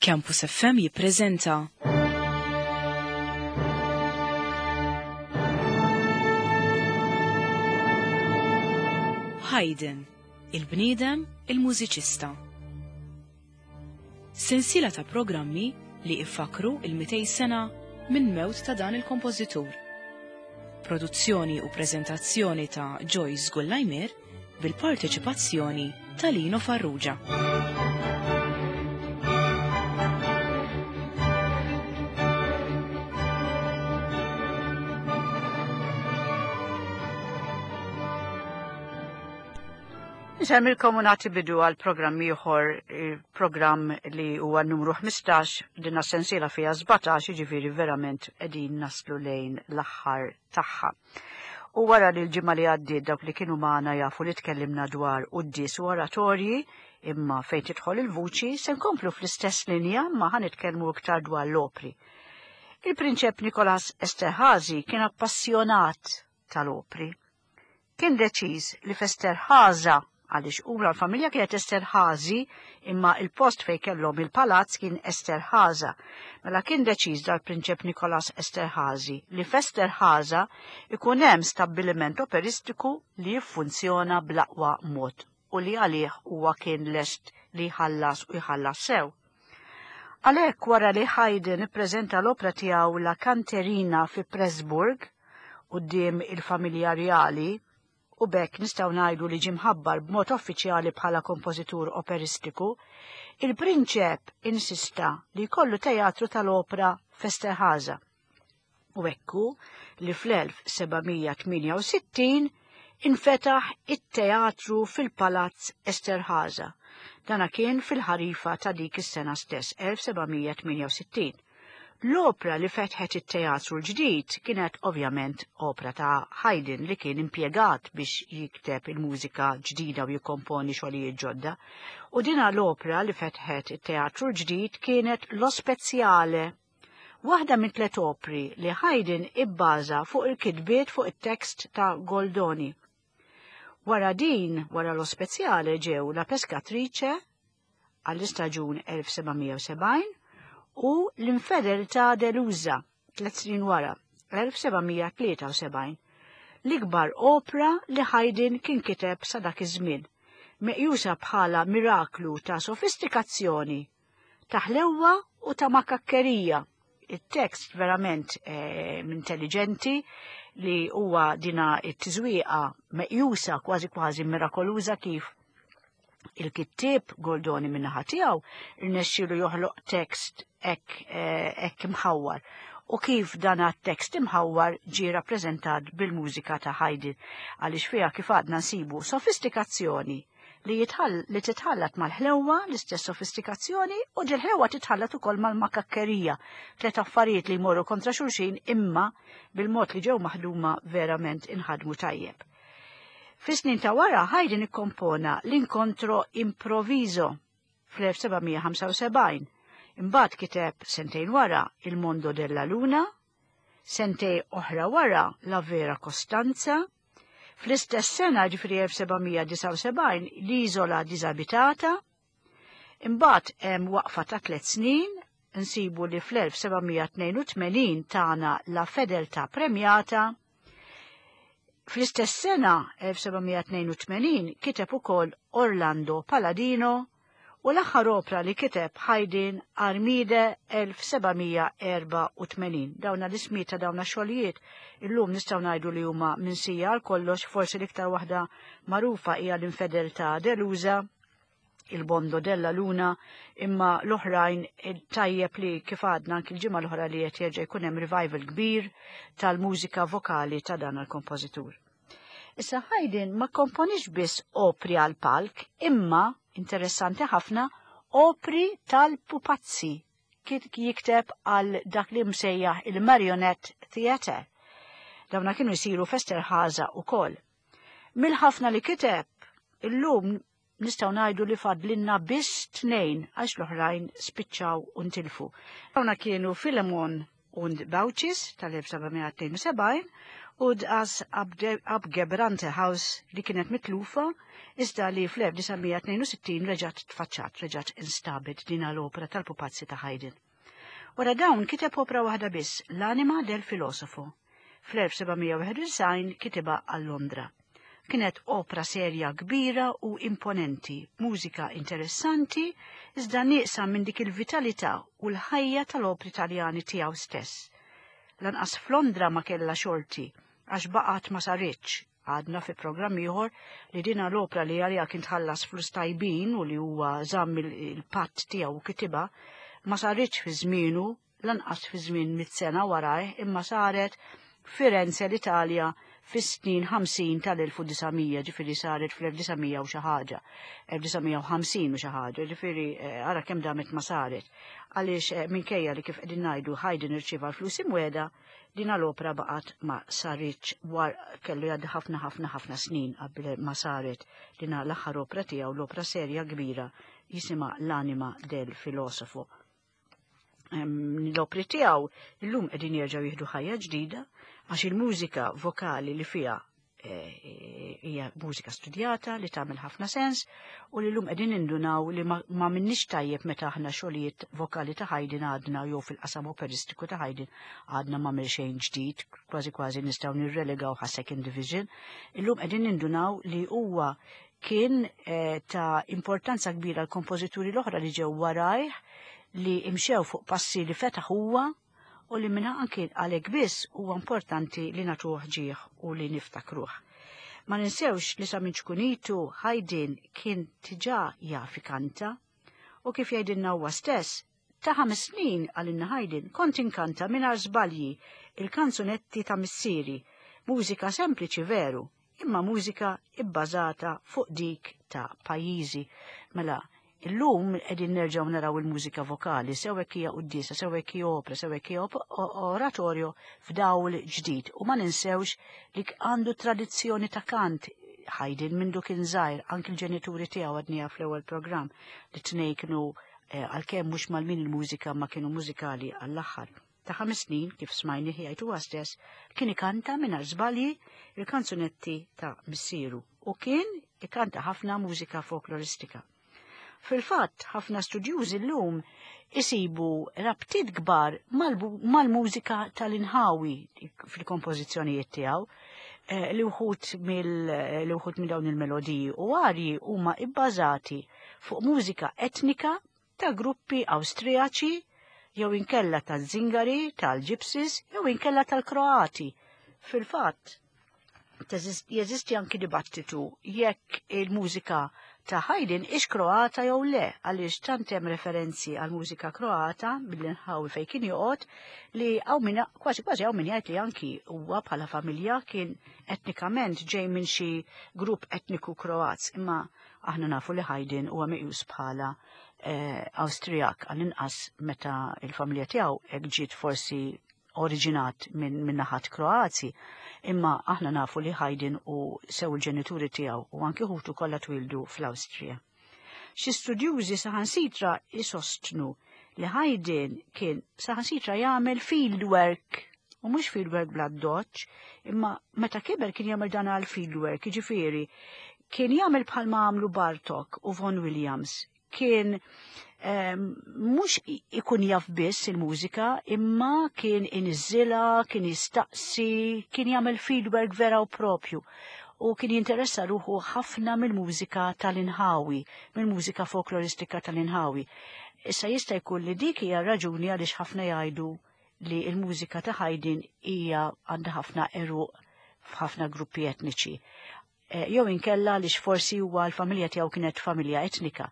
Campus FM jippreżenta Haydn, il-bniedem, il-mużiċista. Sensiela ta' programmi li iffakru il-200 sena minn mewt ta' dan il-kompożitur. Produzzjoni u preżentazzjoni ta' Joyce Gullajmer bil-parteċipazzjoni ta' Lino Farrugia. Nsemmilkom u nagħti bidu għal programm ieħor, programm li huwa numru 15, dinna sensiela fiha 17, jiġifieri verament qegħdin naslu lejn l-aħħar tagħha. U wara li l-ġimgħa li għaddiet dawk li kienu magħna jafu li tkellimna dwar quddies u oratorji, imma fejn tidħol il-vuċi se nkomplu fl-istess linja ma ħa nitkellmu iktar dwar l-opri. Il-Prinċep Nikolas Esterhazy kien appassjonat tal-opri. Kien deċiż li f'Esterhaza, għaliex huma l-familja kienet Esterhazy imma il-post fejn kellhom il-palazz kien Esterhaza. Mela kien deċiż dal-Prinċep Nikolas Esterhazy li f'Esterhaza ikun hemm stabbiliment operistiku li jiffunzjona bl-aqwa mod u li għalih huwa kien lest li jħallas u jħallas sew. Għalhekk wara li Haydn ippreżenta l-opra tiegħu La Canterina fi Pressburg quddiem il-familja rjali u b'hekk nistgħu ngħidu li ġie mħabbar b'mod uffiċjali bħala kompożitur operistiku, il-prinċep insista li jkollu teatru tal-opra f'Esterhaza. U hekk hu li fl-1768 infetaħ it-teatru fil-Palazz Esterhaza. Dana kien fil-ħarifa ta' dik is-sena stess, 1768. L-opra li fetħet it-teatru l-ġdid kienet ovvjament opra ta' Haydn li kien impjegat biex jikteb il-mużika ġdida u jikkomponi xogħlijiet ġodda. U dina l-opra li fetħet it-teatru l-ġdid kienet Lo Speziale, waħda minn tlet opri li Haydn ibbaża fuq il-kitbiet fuq it-tekst ta' Goldoni. Wara din, wara Lo Speziale ġew La Pescatrice, għall-istaġun 1770 u l-infedeltà deluża tlet snin wara, 1773, l-ikbar opra li Haydn kien kiteb sa dak iż-żmien, meqjusa bħala miraklu ta' sofistikazzjoni, ta' ħlewwa u ta' makakkerija. Il-tekst verament eh, intelligenti li huwa dina it-tiżwieqa meqjusa kważi kważi mirakoluża kif Il-kittieb Goldoni min-naħa tiegħu rnexxielu joħloq tekst hekk eh, hekk imħawwar u kif dan tekst imħawwar ġie rappreżentat bil-mużika ta' Haydn għaliex fiha kif għadna nsibu sofistikazzjoni li li titħallat mal-ħlewwa, l-istess sofistikazzjoni, u dil-ħlewwa titħallat ukoll mal-makakkerija, tliet affarijiet li jmorru kontra xulxin imma bil-mod li ġew maħduma verament inħadmu tajjeb. Fis-snin ta' wara Haydn ikkompona l-Incontro Improvviso fl-1775. Imbagħad kiteb sentejn wara Il Mondo della Luna, sentej oħra wara La Vera Costanza, fl-istess sena ġifri 1779 l-Isola Disabitata, imbagħad hemm waqfa ta' tliet snin nsibu li fl-1782 tana La Fedeltà Premiata, Fl-istess sena 1782 kiteb ukoll Orlando Paladino u l-aħħar opra li kiteb Haydn Armide 1784. Dawna l-ismijiet ta' dawna xogħlijiet illum nistgħu ngħidu li huma minsija għal kollox, forsi l-iktar waħda magħrufa hija l-Infedeltà Delusa il-Bondo della Luna, imma l-oħrajn tajjeb li kif għadna anki l-ġimgħa l-oħra li qed jerġa' jkun hemm revival kbir tal-mużika vokali ta' dan il-kompożitur. Issa Haydn ma komponix biss opri għal palk, imma interessanti ħafna opri tal-pupazzi kien jikteb għal dak li msejjaħ il-Marionette Theatre. Dawna kienu jsiru f'Esterhaza ukoll. Mill-ħafna li kiteb, illum nistgħu ngħidu li fadlinna biss tnejn għax l-oħrajn spiċċaw u ntilfu. Dawna kienu Filemon und Baucis tal-1772 U Das Abgebrannte Haus li kienet mitlufa iżda li fl-1962 reġgħet tfaċċat, reġgħet instabet din l-opra tal-pupazzi ta' Haydn. Wara dawn kiteb opra waħda biss, L-Anima del Filosofo. Fl-1791 kitibha għal Londra. Kienet opra serja kbira u imponenti, mużika interessanti, iżda nieqsa minn dik il-vitalità u l-ħajja tal-opri Taljani tiegħu stess. Lanqas f'Londra ma kellha xorti, għax baqgħet ma saritx. Għadna fi programm ieħor li dina l-opra li għaliha kien tħallas flus tajbin u li huwa żamm il-patt tiegħu u kitibha, ma saritx fi żmienu, lanqas fi żmien mit-sena warajh, imma saret Firenze l-Italja fis-snin 50 tal-1900, ġifieri saret fl-1900 u xi ħaġa, 1950 u xi ħaġa, ġifieri eh, ara kemm damet ma saret. Għaliex eh, minkejja li kif qegħdin ngħidu Haydn irċieva l-flus imweda, din l-opra baqgħet ma saritx war kellu jgħaddi ħafna ħafna ħafna snin qabel ma saret din l-aħħar opra tiegħu, l-opra serja kbira jisimha L-Anima del Filosofo. L-opri tiegħu illum qegħdin jerġgħu jieħdu ħajja ġdida għax il-mużika vokali li fiha eh, hija mużika studjata li tagħmel ħafna sens u li llum qegħdin indunaw li ma minnix tajjeb meta aħna xogħlijiet vokali ta' Haydn għadna jew fil-qasam operistiku ta' Haydn għadna ma xejn ġdid, kważi kważi nistgħu nirrelegaw ħa second division. Illum qegħdin nindunaw li huwa kien eh, ta' importanza kbira l-kompożituri l-oħra li ġew warajh li imxew fuq passi li fetaħ huwa u li minna anki għalhekk biss huwa importanti li nagħtuh ġieħ u li niftakruh. Ma ninsewx li sa minn ċkunitu Haydn kien diġà jaf ikanta u kif jgħidilna huwa stess, ta' 5 snin għalinna Haydn kont inkanta mingħajr żbalji il-kanzunetti ta' missieri, mużika sempliċi veru, imma mużika ibbażata fuq dik ta' pajjiżi. Mela, illum qegħdin nerġgħu naraw il-mużika vokali, sew hekk hija quddiesa, sew hekk hija opera, sew hekk hija oratorio f'dawl ġdid. U ma ninsewx li għandu tradizzjoni ta' kant Haydn minn kien żgħir, anki l-ġenituri tiegħu għadniha fl-ewwel programm li tnej kienu eh, għalkemm mhux mal-min il-mużika ma kienu mużikali għall-aħħar. Ta' 5 snin, kif smajni jgħid huwa stess, kien ikanta mingħajr żbalji il-kanzunetti ta' missieru u kien ikanta ħafna mużika folkloristika. Fil-fatt, ħafna studjużi llum isibu rabtiet kbar mal-mużika tal-inħawi fil-kompożizzjonijiet tiegħu eh, li wħud li wħud minn dawn il-melodiji u arji huma ibbażati fuq mużika etnika ta' gruppi Awstrijaċi jew inkella tal-Zingari, tal-Gypsies, jew inkella tal-Kroati. Fil-fatt, jeżisti anki dibattitu jekk il-mużika ta' Haydn ix Kroata jew le, għaliex tant hemm referenzi għal mużika Kroata mill-inħawi fejn kien joqgħod li hawn min kważi kważi hawn min jgħid li anki huwa bħala familja kien etnikament ġej minn xi grupp etniku Kroat, imma aħna nafu li Haydn huwa meqjus bħala eh, Awstrijak għall-inqas meta il-familja tiegħu hekk ġiet forsi oriġinat minn naħat Kroazji, imma aħna nafu li Haydn u sew il-ġenituri tiegħu u anki ħutu kollha twildu fl-Awstrija. Xi studjużi saħansitra isostnu li Haydn kien saħansitra jagħmel field work u mhux field work bla doċ, imma meta kiber kien jagħmel dan għal field work, jiġifieri kien jagħmel bħalma għamlu Bartok u Vaughan Williams, kien mhux ikun jaf biss il-mużika, imma kien iniżżilha, kien jistaqsi, kien jagħmel fieldwork vera u propju. U kien jinteressa ruħu ħafna mill-mużika tal-inħawi, mill-mużika folkloristika tal-inħawi. Issa jista' jkun li dik hija raġuni għaliex ħafna jgħidu li l-mużika ta' Haydn hija għandha ħafna għeruq f'ħafna gruppi etniċi. Jew inkella li forsi huwa l-familja tiegħu kienet familja etnika.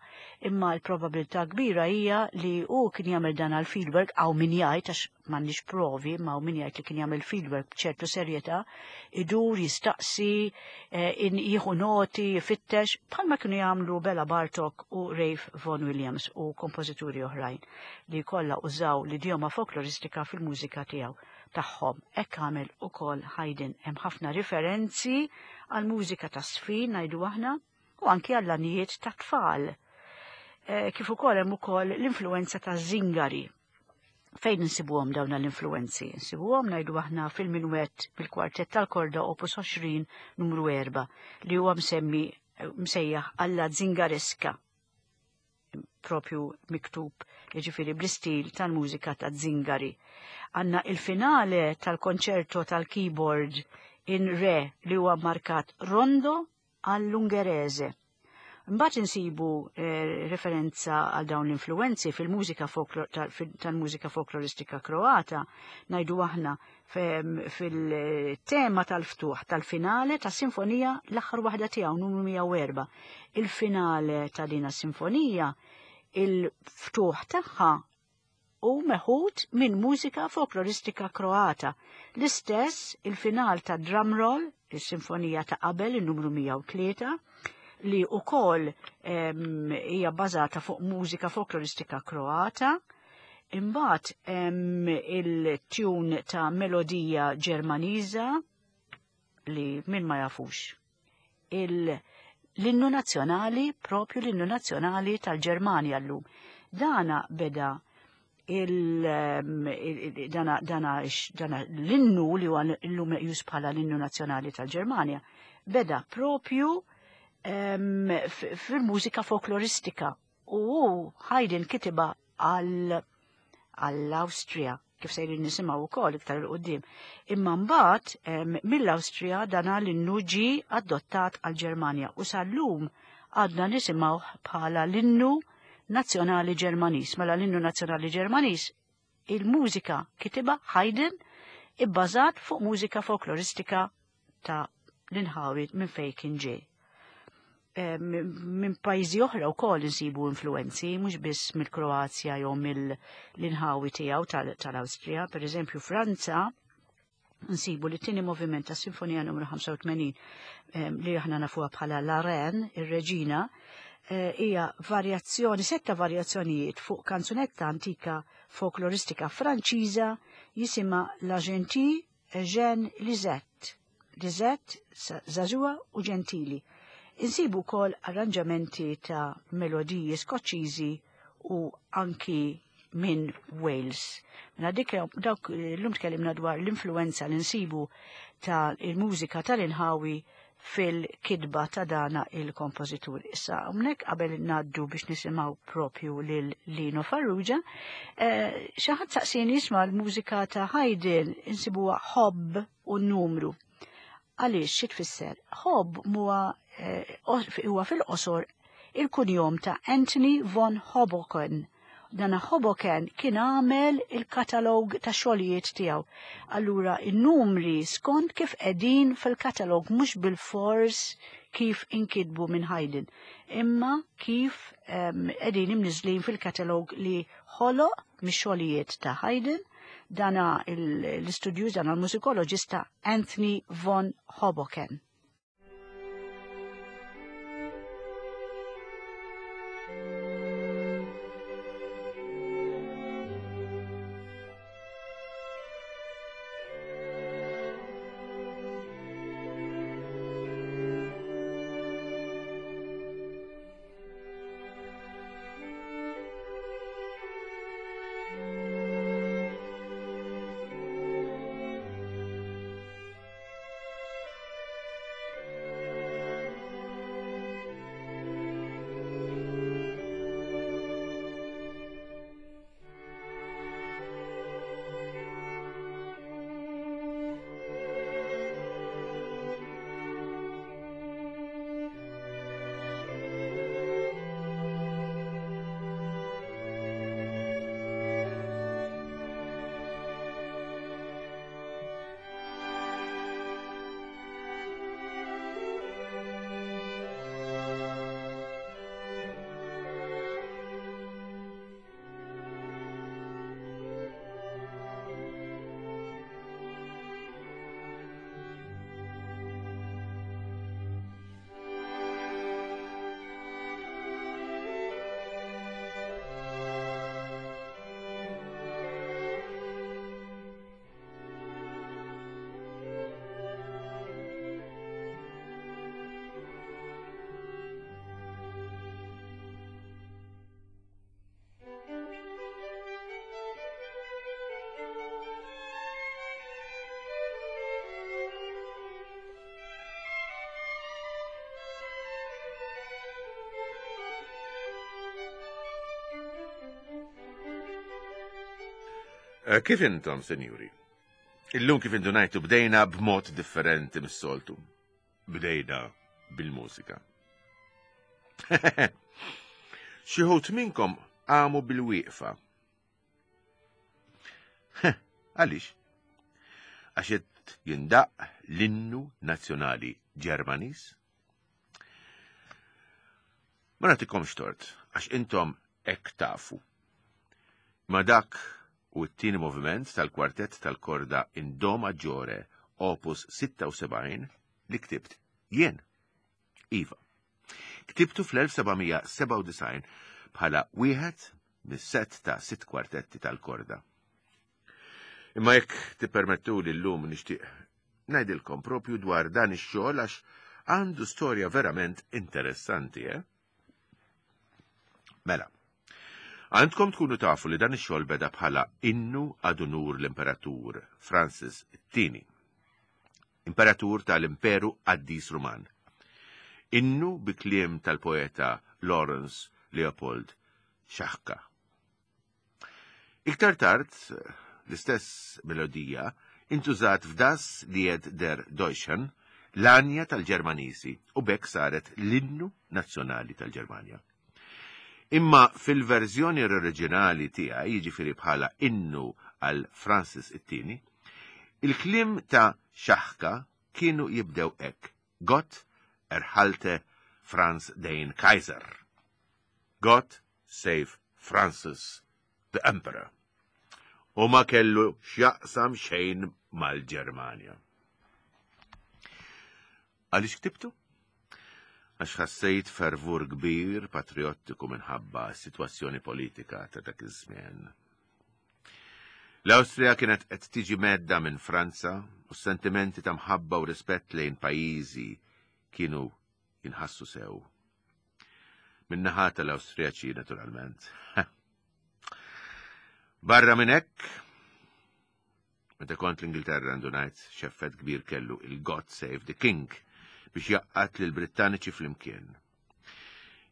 Imma l-probabilità kbira hija li hu kien jagħmel dan għal fieldwork hawn min jgħid għax m'għandniex provi, ma hawn min jgħid li kien jagħmel fieldwork b'ċertu serjetà, idur, jistaqsi, eh, jieħu noti, jfittex, bħalma kienu jagħmlu Bela Bartok u Ralph Vaughan Williams u kompożituri oħrajn li kollha użaw l-idjoma folkloristika fil-mużika tiegħu tagħhom. Hekk għamel ukoll Haydn. Hemm ħafna riferenzi għal mużika ta' sfin ngħidu aħna u anki għall-għanjiet ta' tfal. Eh, kif ukoll hemm ukoll l-influenza ta' Zingari. Fejn insibuhom dawn l-influenzi? Insibuhom ngħidu aħna fil-minwett bil-kwartett tal-korda opus 20 numru 4 li huwa msemmi msejjaħ alla zingareska propju miktub jiġifieri bl-istil tal-mużika ta' Zingari. Għanna il-finale tal-konċerto tal-keyboard in re li huwa markat rondo għall-Ungerese. Mbagħad insibu eh, referenza għal dawn l-influenzi fil-mużika tal-mużika folkloristika Kroata, ngħidu aħna fil-tema tal-ftuħ tal-finale ta' sinfonija l-aħħar waħda tiegħu numru 104. Il-finale ta' dina sinfonija, il-ftuħ tagħha u meħud minn mużika folkloristika Kroata. L-istess il-final ta' Drumroll, il-sinfonija ta' qabel, il-numru 103, li ukoll hija bbażata fuq mużika folkloristika Kroata. Imbagħad hemm il-tune ta' melodija Ġermaniża li min ma jafux. L-innu nazzjonali, propju l-innu nazzjonali tal-Ġermanja llum. Dana beda il, dana, dana, dana l-innu li huwa llum meqjus bħala l-innu nazzjonali tal-Ġermanja, beda propju fil-mużika folkloristika u Haydn kitiba għall-Awstrija kif sejrin nisimgħu wkoll iktar il qudiem Imma mbagħad mill-Awstrija dana l-innu ġie adottat għall-Ġermanja u sal-lum għadna nisimgħu bħala l-innu nazzjonali Ġermaniż. Mela l-innu nazzjonali Ġermaniż il-mużika kitiba Haydn ibbażat fuq mużika folkloristika ta' l-inħawi minn fejn kien ġej. Eh, minn pajjiżi oħra wkoll insibu influenzi, mhux biss mill-Kroazja jew mill-inħawi tiegħu tal-Awstrija, per eżempju Franza, nsibu li t-tieni moviment ta' Sinfonija numru 85 eh, li aħna nafuha bħala La Reine, ir-Reġina, eh, hija varjazzjoni, setta varjazzjonijiet fuq kanzunetta antika folkloristika Franċiża jisimha La Gentille Jeanne Lisette. Lisette, żagħżugħa u ġentili. Insibu wkoll arranġamenti ta' melodiji Skoċċiżi u anki minn Wales. Mela dik dawk l-lum tkellimna dwar l-influenza li nsibu ta' il-mużika tal-inħawi fil-kidba ta' dana il-kompożitur. Issa, hawnhekk qabel ngħaddu biex nisimgħu propju lil Lino Farrugia, eh, xi ħadd saqsini jisma' l-mużika ta' Haydn insibuha ħobb u numru. Għaliex xi tfisser? Ħobb huwa eh, huwa fil-qosor il-kunjom ta' Anthony von Hoboken. Dana Hoboken kien għamel il-katalog ta' xogħlijiet tiegħu. Allura in-numri skont kif qegħdin fil-katalog mhux bil-fors kif inkitbu minn Haydn, imma kif qegħdin imniżlin fil-katalog li ħoloq mix-xogħlijiet ta' Haydn dana l-istudjuż dana l-mużikoloġista Anthony von Hoboken. Eh, kif intom, senjuri? Illum kif indunajtu bdejna b'mod differenti mis-soltu. Bdejna bil-mużika. Xi ħut minnkom għamu bil-wieqfa. Għaliex? Għax qed jindaq l-innu nazzjonali Ġermaniż? Ma nagħtikomx tort, għax intom hekk tafu. Ma dak u t-tieni moviment tal-kwartett tal-korda in Do Maggiore opus 76 li ktibt jien. Iva. Ktibtu fl-1797 bħala wieħed mis-sett ta' sitt kwartetti tal-korda. Imma jekk tippermettu li llum nixtieq ngħidilkom propju dwar dan ix-xogħol għax għandu storja verament interessanti, eh? Mela, għandkom tkunu tafu li dan ix-xogħol beda bħala innu ad unur l-Imperatur Francis it-Tieni, Imperatur tal-Imperu Qaddis Ruman. Innu bi kliem tal-poeta Lawrence Leopold Xaħka. Iktar tard, l-istess melodija intużat f'Das Lied der Deutschen, l-għanja tal-Ġermaniżi, u b'hekk saret l-innu nazzjonali tal-Ġermanja. Imma fil-verżjoni oriġinali tiegħi, jiġifieri bħala innu għal Francis it-Tieni, il-kliem ta' Xaħka kienu jibdew hekk, Gott erhalte Franz den Kaiser. Gott save Francis the Emperor. U ma kellu x'jaqsam xejn mal-Ġermanja. Għaliex ktibtu? Għax ħassejt fervur kbir patriottiku minħabba s-sitwazzjoni politika ta' dak iż-żmien. L-Awstrija kienet qed tiġi medda minn Franza u s-sentimenti ta' mħabba u rispett lejn pajjiżi kienu jinħassu sew. Min-naħa tal-Awstrijaċi naturalment. Barra minn hekk, meta kont l-Ingilterra ndunajt x'effett kbir kellu il-God Save the King biex jaqqat lil Brittaniċi flimkien.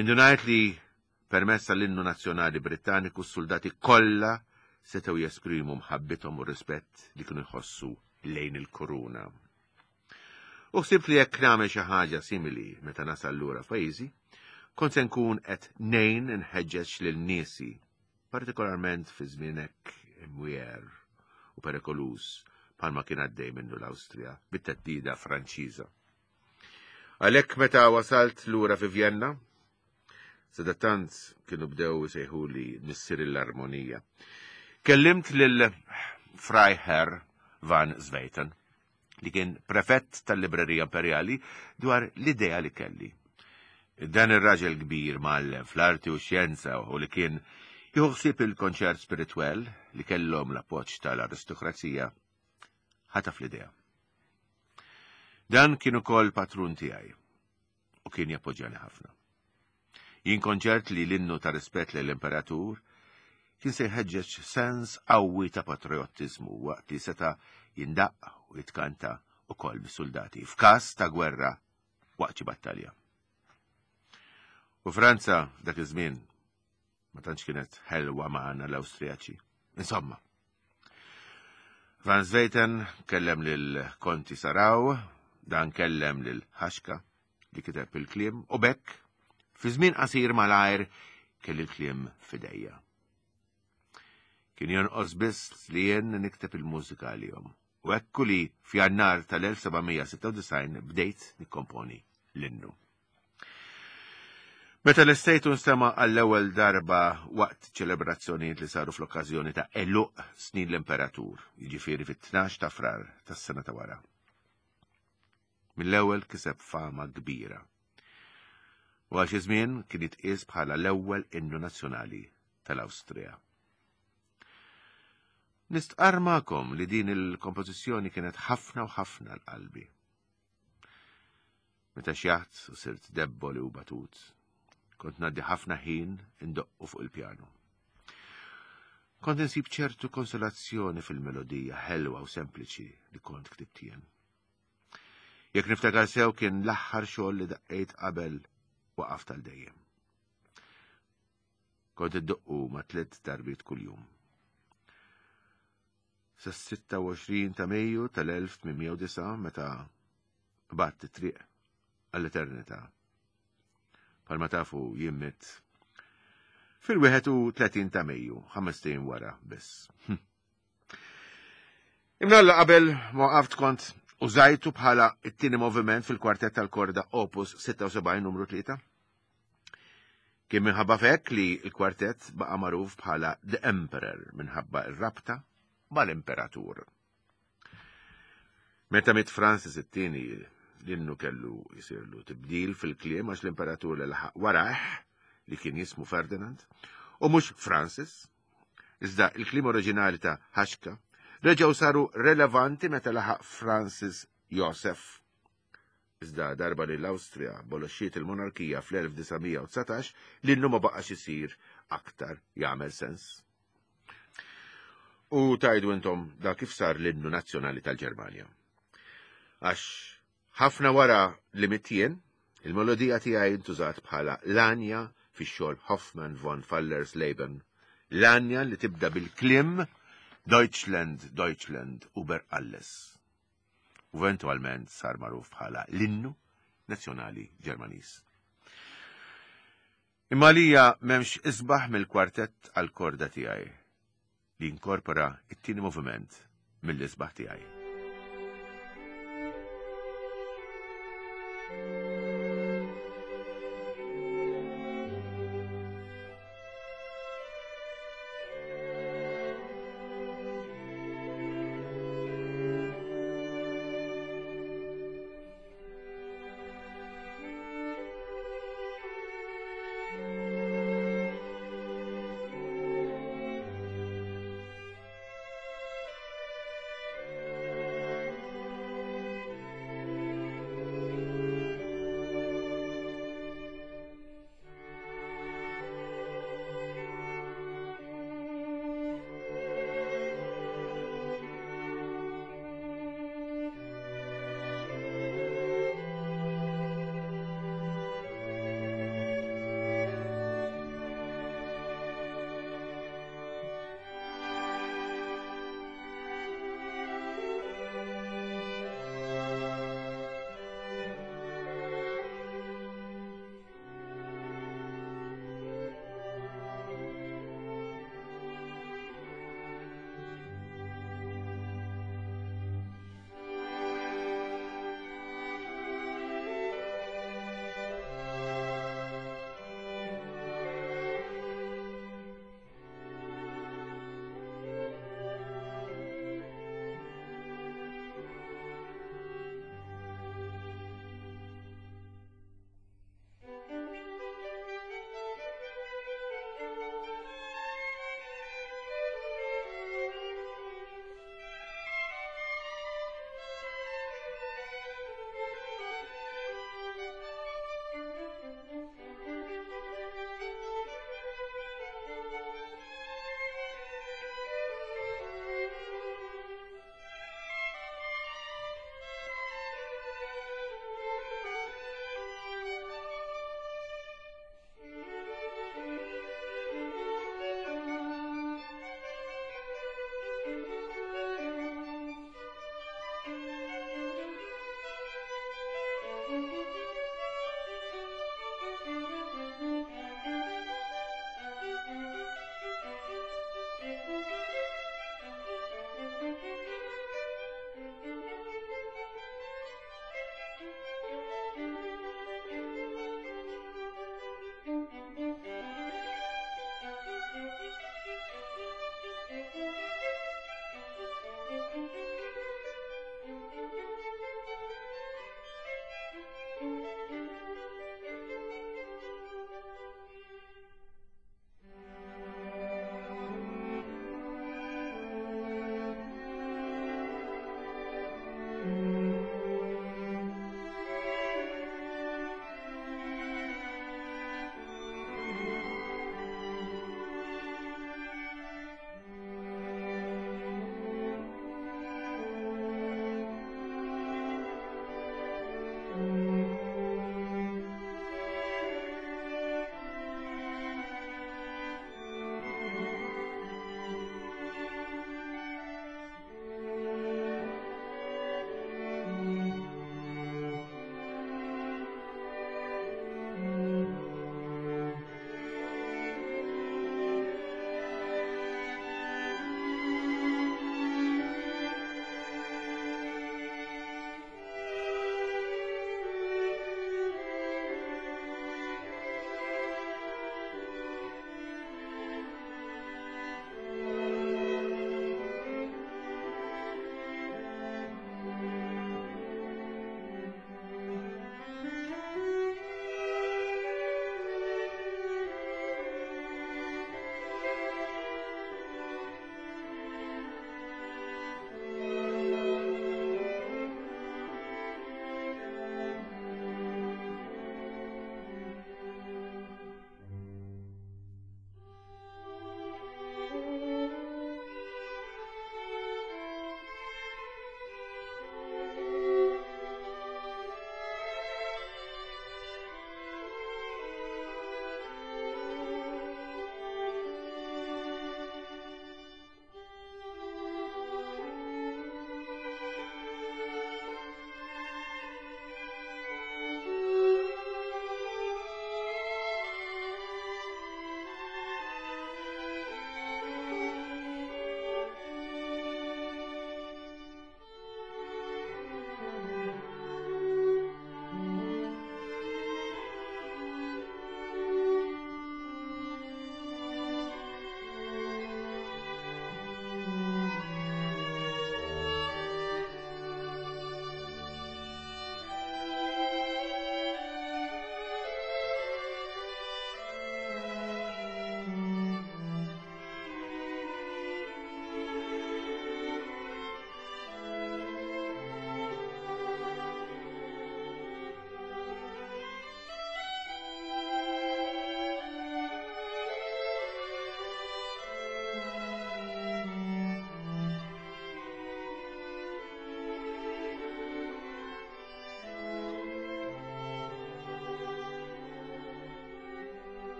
Indunajt li permezz tal-innu nazzjonali Brittaniku s-soldati kollha setgħu jesprimu mħabbithom u rispett li kienu jħossu lejn il-kuruna. U ħsibt li jekk nagħmel xi ħaġa simili meta nasal lura f'pajjiżi, kont se nkun qed ngħin nħeġġeġ lil niesi, partikolarment fi żmien hekk imwiegħer u perikoluż bħalma kien għaddej minnu l-Awstrija bit-theddida Franċiża. Għalhekk meta wasalt lura fi Vjenna, sadattant kienu bdew isejħuli missier l-armonija. Kellimt lil Freiherr van Zweiten li kien prefett tal-Librerija Imperjali, dwar l-idea li kelli. Dan ir-raġel kbir mgħallem fl-arti u xjenza u li kien jieħu ħsieb il-konċert spiritwel li kellhom l-appoġġ tal-aristokrazija ħataf l-idea. Dan kien ukoll patrun tiegħi u kien jappoġġjani ħafna. Jien kont ċert li l-innu ta' rispett lejn l-imperatur kien se jħeġġeġ sens qawwi ta' patriottiżmu waqt li seta' jindaqq u jitkanta ukoll bis-suldati f'każ ta' gwerra waqt xi battalja. U Franza f'dak iż-żmien ma tantx kienet ħelwa magħna l-Awstrijaċi. Insomma, Van Zweiten kellem lil Konti Saraw, dan kellem lil Ħaxka li kiteb il-kliem u bekk fi żmien qasir malajr kelli l-kliem fidejja. Kien jonqos biss li jien nikteb il-mużika għalihom. U ekku li f'Jannar tal-1796 bdejt nikkomponi l-innu. Meta l-istejtu nstema' għall-ewwel darba waqt ċelebrazzjonijiet li saru fl-okkażjoni ta' eluq snin l-Imperatur, jiġifieri fit-12 ta' Frar tas-sena ta' wara. Mill-ewwel kiseb fama kbira. U għal xi żmien kien jitqies bħala l-ewwel innu nazzjonali tal-Awstrija. Nistqarr magħkom li din il-kompożizzjoni kienet ħafna u ħafna l-qalbi. Meta xjaħt u sirt debboli u batut, kont ngħaddi ħafna ħin indoqqu fuq il-pjanu. Kont insib ċertu konsolazzjoni fil-melodija ħelwa u sempliċi li kont ktibt jien. Jekk niftakar sew kien l-aħħar xogħol li daqqejt qabel waqaf tal-dejjem. Kont iddoqqu ma' tliet darbiet kuljum. Sas-26 ta' Mejju tal-1809 meta qbadt it-triq għall-eternità. Palma tafu jien mitt fil-31 ta' Mejju, ħamestejn wara biss. Hm. Imnalla qabel ma waqaft kont użajtu bħala it-tieni moviment fil-kwartett tal-korda Opus 76 numru 3. Kien minħabba f'hekk li l-kwartett baqa' magħruf bħala The Emperor minħabba r-rabta mal-Imperatur. Meta miet Francis it-tieni l-innu kellu jsirlu tibdil fil-kliem għax l-imperatur li laħaq warajh li kien jismu Ferdinand u mhux Francis, iżda il-kliem oriġinali ta' Haxka reġgħu saru relevanti meta laħaq Francis Joseph. Iżda darba li l-Awstrija abolixxiet il-monarkija fl-1919, l-innu ma baqax isir aktar jagħmel sens. U tajdu intom da kif sar l-innu nazzjonali tal-Ġermanja. Għax ħafna wara li mittien, il-melodija tiegħi ntużat bħala l-anja fix-xogħol Hoffmann von Fallersleben, l-anja li tibda bil-kliem Deutschland, Deutschland, über alles. U eventwalment sar magħruf bħala l-innu nazzjonali Ġermaniż. Imma għalija m'hemmx isbaħ mill-kwartett għall-korda tiegħi li jinkorpora t-tieni moviment mill-isbaħ tiegħi.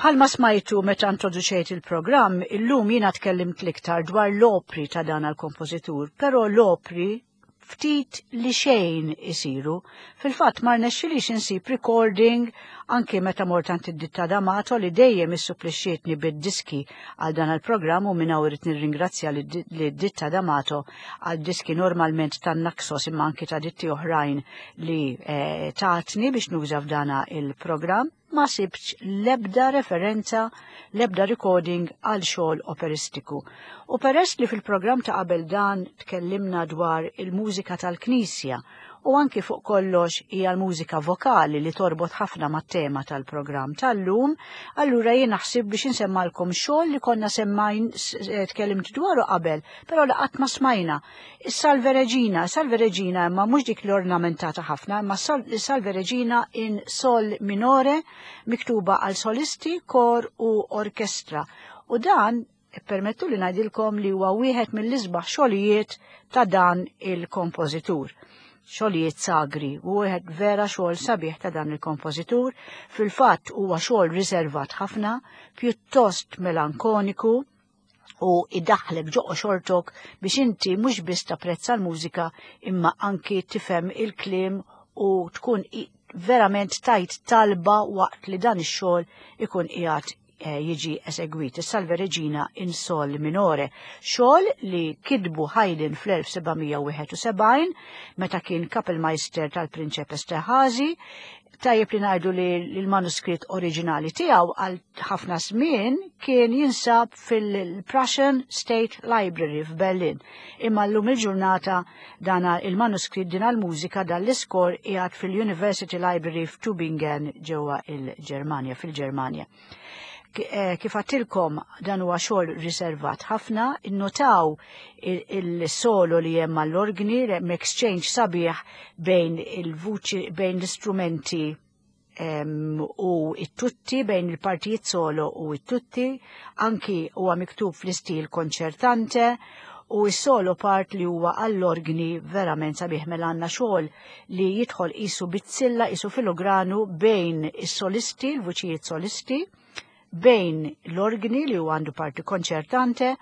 Bħalma smajtu meta introduċejt il-programm, illum jiena tkellimt l-iktar dwar l-opri ta' dan għal-kompożitur, però l-opri ftit li xejn isiru. Fil-fatt ma rnexxilix insib recording anki meta mort għand id-ditta D'Amato li dejjem issupplixxietni bid-diski għal dan il-programm u minn hawn irid nirringrazzja lid-ditta D'Amato għal diski normalment tan-Naxos imma anki ta' ditti oħrajn li eh, tatni biex nuża f'dana il-programm. Ma sibtx l-ebda referenza, l-ebda recording għal xogħol operistiku. U peress li fil-programm ta' qabel dan tkellimna dwar il-mużika tal-Knisja u anki fuq kollox hija l-mużika vokali li torbot ħafna mat-tema tal-programm tal-lum, allura jien naħsib biex insemmalkom xogħol li konna semmajn eh, tkellimt dwaru qabel, però li qatt ma smajna. Is-Salve Regina, Salve Regina imma mhux dik l-ornamentata ħafna, imma Salve Regina in Sol minore miktuba għal solisti, kor u orkestra. U dan permettu li ngħidilkom li huwa wieħed mill-isbaħ xogħlijiet ta' dan il-kompożitur. Xogħlijiet sagri, u wieħed vera xogħol sabiħ ta' dan il-kompożitur, fil-fatt huwa xogħol riservat ħafna, pjuttost melankoniku, u idaħlek ġoqo xortok biex inti mhux biss tapprezza l-mużika imma anki tifhem il-kliem u tkun verament tajt talba waqt li dan ix-xogħol ikun qiegħed eh, jiġi esegwit. Is-Salve Regina in Sol Minore, xogħol li kitbu Haydn fl-1771 meta kien Kapellmeister tal-Prinċep Esterhazy. Tajjeb li ngħidu li l-manuskritt oriġinali tiegħu għal ħafna żmien kien jinsab fil-Prussian State Library f'Berlin. Imma llum il-ġurnata dana il-manuskritt din għall-mużika dan l-iskor qiegħed fil-University Library f'Tübingen ġewwa il-Ġermanja fil-Ġermanja. Eh, kif għattilkom dan huwa xogħol riservat ħafna, innotaw il-solo li hemm għall-organi, hemm exchange sabiħ bejn il-vuċi bejn l-istrumenti u it-tutti bejn il-partijiet solo u it-tutti, anki huwa miktub fl-istil konċertante u s-solo part li huwa għall-organi verament sabiħ mela għandna xogħol li jidħol qisu bizzilla qisu filogranu bejn is-solisti, l-vuċijiet solisti, bejn l-organi li huwa għandu parti konċertante,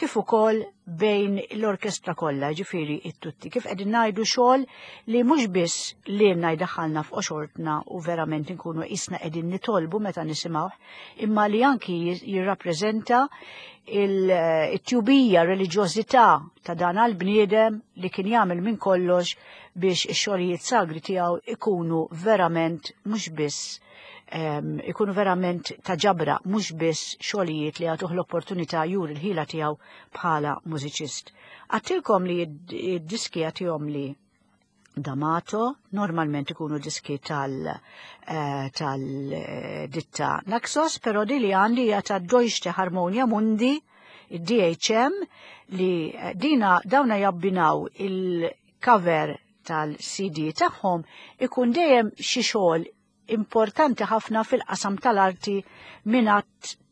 kif ukoll bejn l-orkestra kollha, ġifieri it-tutti. Kif qegħdin ngħidu xogħol li mhux biss lilna jdaħħalna f'qoxortna u verament inkunu qisna qegħdin nitolbu meta nisimgħuh, imma li anki jirrappreżenta il-tjubija, reliġjożità ta' dan għal-bniedem li kien jagħmel minn kollox biex ix-xogħlijiet sagri tiegħu ikunu verament mhux biss ikunu verament ta' ġabra mhux biss xogħlijiet li jagħtuh l-opportunità juri l-ħila tiegħu bħala mużiċist. Għattilkom li d-diski għatihom li D'Amato, normalment ikunu diski tal eh, tal-ditta Naxos, pero di li għandi hija ta' Deutsche Harmonia Mundi, id-DHM, li eh, dina dawna jabbinaw il-cover tal-CD tagħhom ikun dejjem xi xogħol importanti ħafna fil-qasam tal-arti minn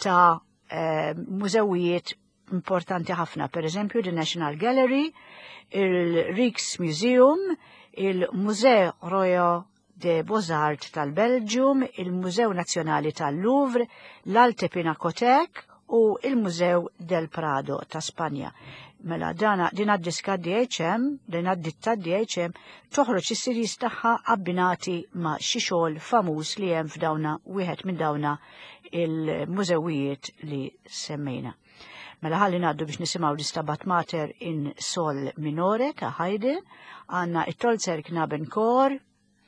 ta' eh, mużewijiet importanti ħafna, per eżempju the National Gallery, il-Rijksmuseum, il-Musée Royal de Beaux-Arts tal-Belgium, il-Mużew Nazzjonali tal-Louvre, l-Alte Pinakothek u il-Mużew del Prado ta' Spanja. Mela dana din għad-diska DHM, din għad-ditta DHM, toħroġ is-series tagħha abbinati ma' xi xogħol famuż li hemm f'dawna wieħed minn dawna il-mużewijiet li semmejna. Mela ħalli ngħaddu biex nisimgħu l-Istabat Mater in Sol Minore ta' Haydn, għandna it-Tolzer Knaben Chor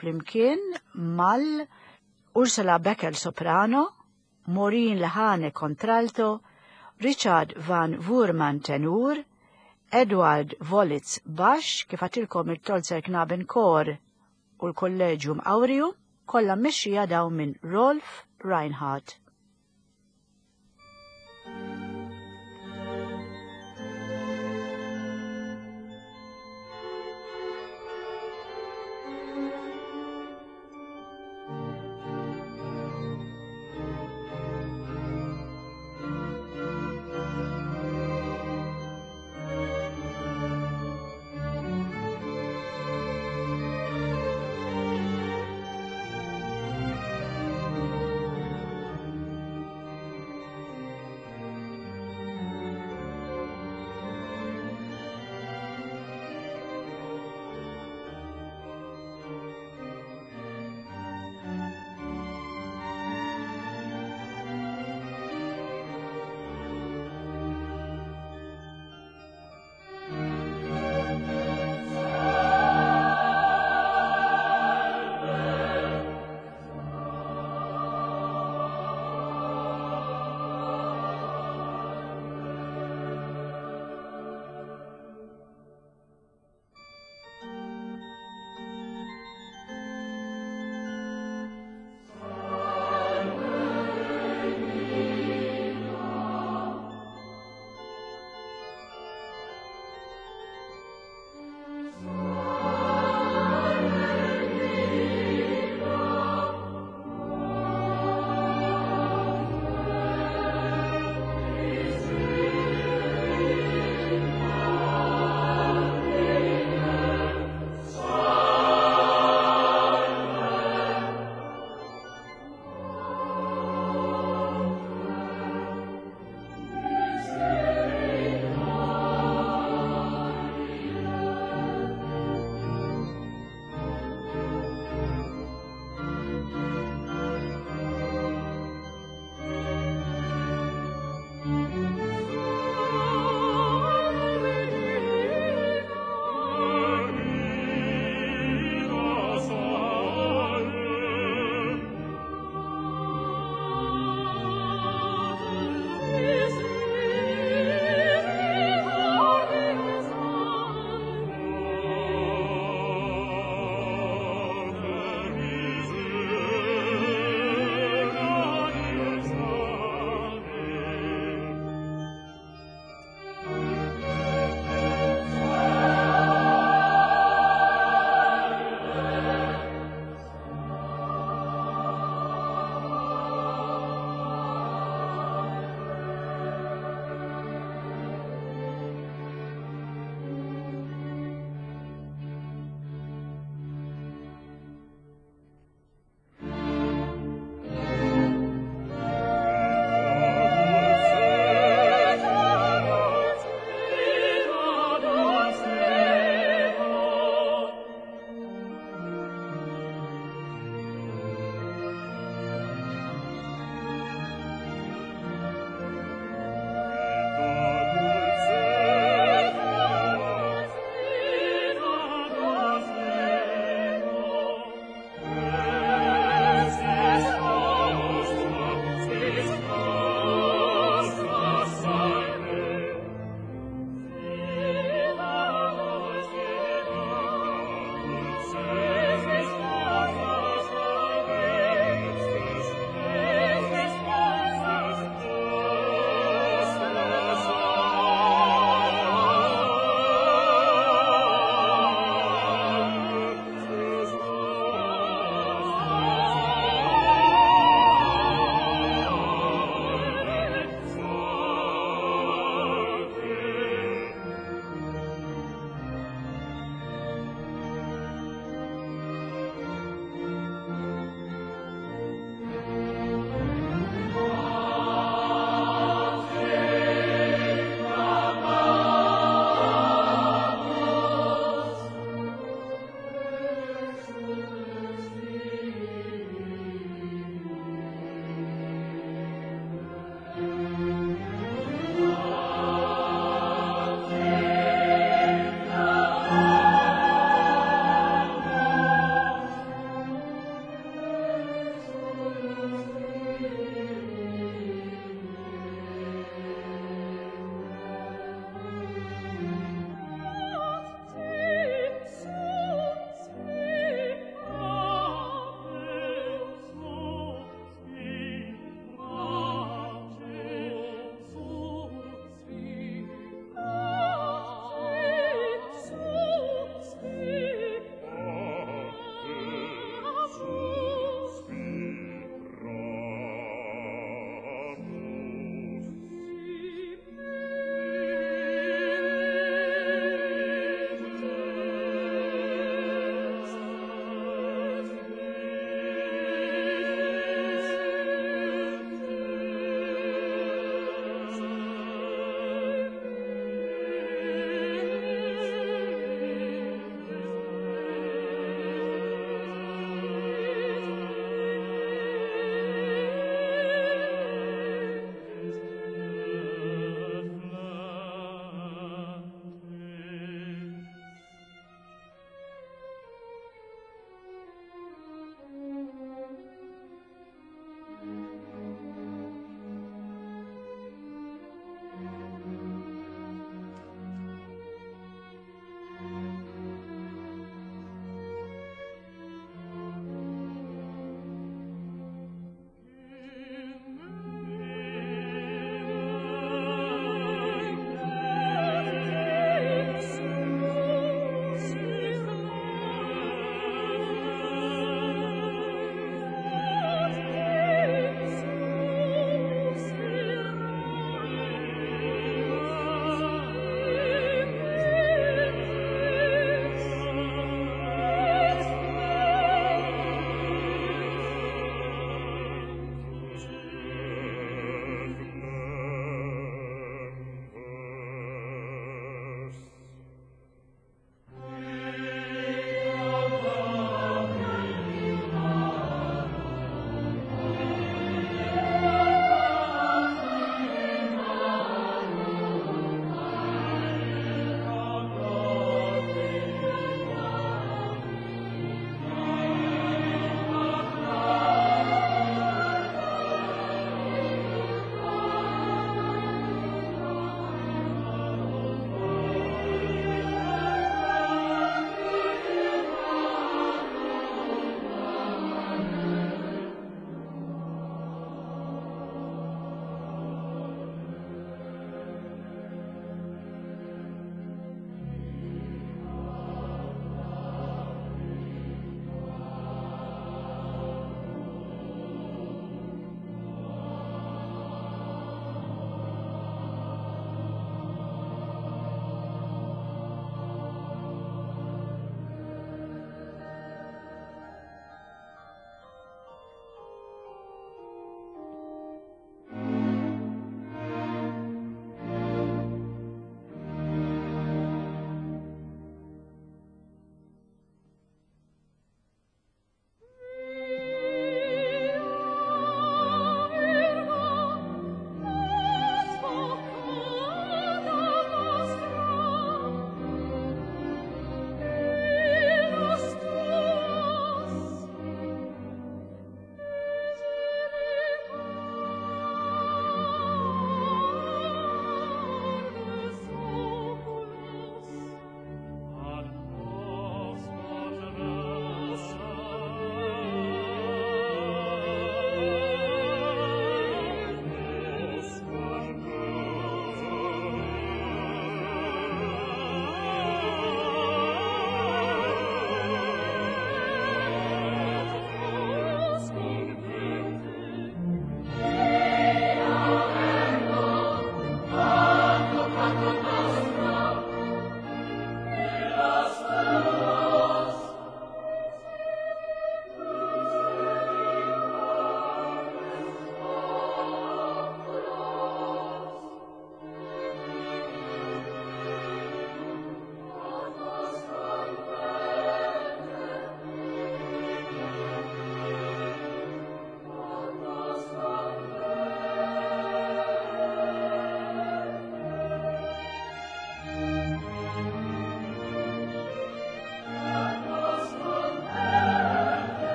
flimkien mal Ursula Becker soprano, Maureen Lehane contralto, Richard Van Wurman tenur, Edward Volitz bax, kif għatilkom il-Tolzer Knaben Chor u l-Kolleġium Aureum, kollha mmexxija dawn minn Rolf Reinhardt.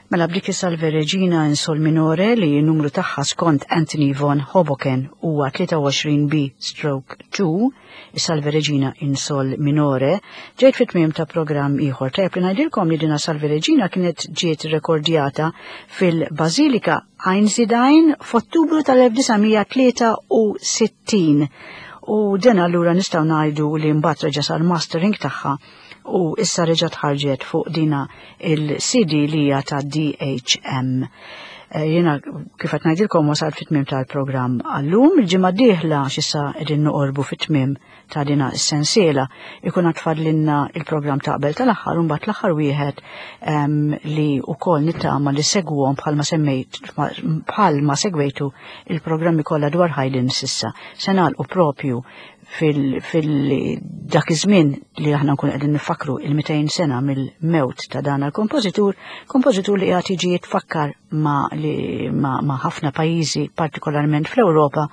Mela b'dik is-Salve Regina in Sol Minore li n-numru tagħha skont Anthony von Hoboken huwa 23B stroke 2, is-Salve Regina in Sol Minore, ġejt fit-tmiem ta' programm ieħor. Tajjeb li ngħidilkom li dina Salve Regina kienet ġiet rekordjata fil-Bażilika Einsiedlein f'Ottubru tal-1963 u din allura nistgħu ngħidu li mbagħad reġa' sar mastering tagħha u issa reġa' tħarġet fuq dina il-CD li hija ta' DHM. Eh, jiena kif qed ngħidilkom wasal fit-tmiem tal-programm għallum, il-ġimgħa d-dieħla x'issa qegħdin noqorbu fit-tmiem ta' dina s-sensiela ikun għad fadlinna il-programm ta' qabel tal-aħħar u mbagħad l-aħħar wieħed ehm, li wkoll nittama li segwhom bħalma semmejt bħalma segwejtu il-programmi kollha dwar Haydn sissa. Se nagħlqu propju fil-dak iż-żmien li aħna nkun qegħdin nifakru il-200 sena mill-mewt ta' dan il-kompożitur, kompożitur li qiegħed jiġi jitfakkar ma' ma' ħafna pajjiżi, partikolarment fl-Ewropa,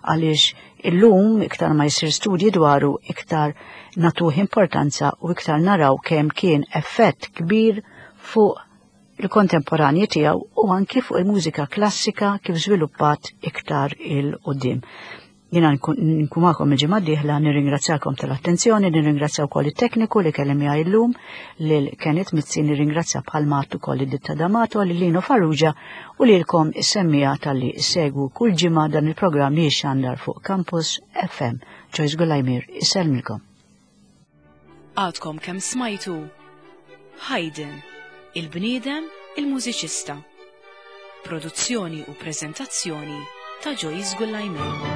għaliex illum iktar ma jsir studji dwaru iktar natuh importanza u iktar naraw kemm kien effett kbir fuq il-kontemporanji tiegħu u anki fuq il-mużika klassika kif żviluppat iktar il-qudiem. Jiena nkun magħkom il-ġimgħa d-dieħla, nirringrazzjakom tal-attenzjoni, nirringrazzja wkoll it-tekniku li kelli miegħi llum lil Kenneth Mizzi, nirringrazzja bħal mat ukoll id-ditta D'Amato, lil Lino Farrugia u lilkom is-semmiegħa talli ssegwu kull ġimgħa dan il-programm li jixxandar fuq Campus FM. Joyce Gulajmir isellmilkom. Għadkom kemm smajtu Haydn, il-bniedem, il-mużiċista. Produzzjoni u preżentazzjoni ta' Joyce Gullajmel.